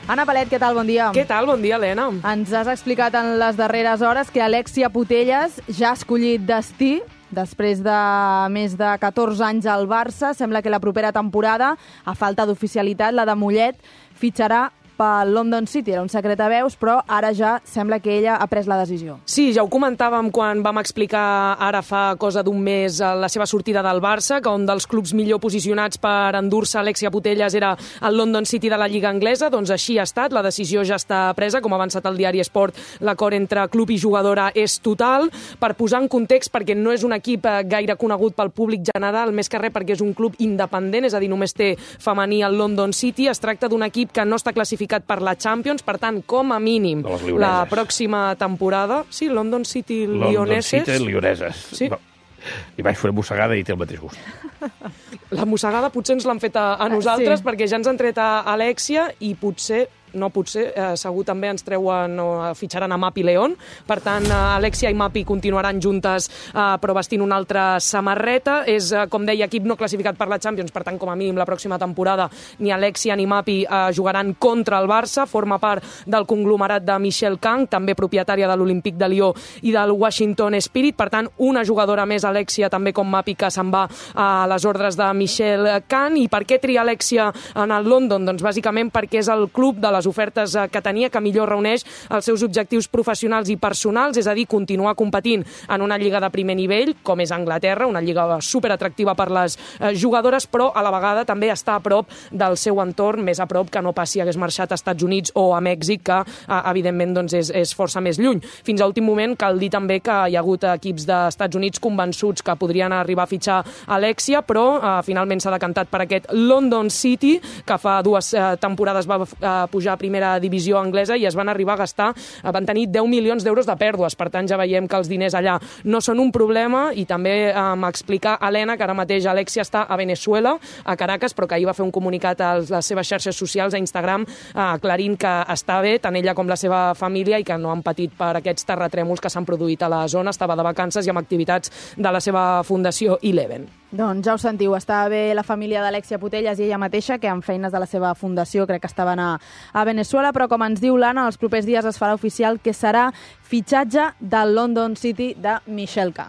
Anna Palet, què tal? Bon dia. Què tal? Bon dia, Helena. Ens has explicat en les darreres hores que Alexia Putellas ja ha escollit destí. Després de més de 14 anys al Barça, sembla que la propera temporada, a falta d'oficialitat, la de Mollet, fitxarà pel London City. Era un secret a veus, però ara ja sembla que ella ha pres la decisió. Sí, ja ho comentàvem quan vam explicar ara fa cosa d'un mes la seva sortida del Barça, que un dels clubs millor posicionats per endur-se Alexia Putellas era el London City de la Lliga Anglesa. Doncs així ha estat, la decisió ja està presa. Com ha avançat el diari Sport, l'acord entre club i jugadora és total. Per posar en context, perquè no és un equip gaire conegut pel públic general, més que res perquè és un club independent, és a dir, només té femení el London City. Es tracta d'un equip que no està classificat per la Champions, per tant, com a mínim, la pròxima temporada... Sí, London City Lioneses. London City Lioneses. Sí. No. Li vaig fer una mossegada i té el mateix gust. La mossegada potser ens l'han fet a nosaltres, sí, perquè ja ens han tret a Alexia i segur també ens treuen o fitxaran a Mapi León. Per tant, Alexia i Mapi continuaran juntes, però vestint una altra samarreta. És, com deia, equip no classificat per la Champions, per tant, com a mínim, la pròxima temporada ni Alexia ni Mapi jugaran contra el Barça. Forma part del conglomerat de Michelle Kang, també propietària de l'Olympique de Lió i del Washington Spirit. Per tant, una jugadora més, Alexia, també com Mapi, que se'n va a les ordres de Michelle Kang. I per què tria Alexia en el London? Doncs bàsicament perquè és el club de les ofertes que tenia, que millor reuneix els seus objectius professionals i personals, és a dir, continuar competint en una lliga de primer nivell, com és Anglaterra, una lliga superatractiva per les jugadores, però a la vegada també està a prop del seu entorn, més a prop que no pas si hagués marxat als Estats Units o a Mèxic, que evidentment doncs, és força més lluny. Fins a últim moment cal dir també que hi ha hagut equips dels Estats Units convençuts que podrien arribar a fitxar Alexia, però finalment s'ha decantat per aquest London City, que fa 2 temporades va pujar a primera divisió anglesa i es van arribar a gastar, van tenir 10 milions d'euros de pèrdues. Per tant, ja veiem que els diners allà no són un problema. I també m'explica Helena que ara mateix Alexia està a Venezuela, a Caracas, però que ahir va fer un comunicat a les seves xarxes socials, a Instagram, aclarint que està bé, tant ella com la seva família, i que no han patit per aquests terratrèmols que s'han produït a la zona. Estava de vacances i amb activitats de la seva fundació Eleven. Doncs ja ho sentiu, està bé la família d'Alexia Putellas i ella mateixa, que amb feines de la seva fundació crec que estaven a Venezuela, però com ens diu l'Anna, els propers dies es farà oficial que serà fitxatge del London City de Michelle Kang.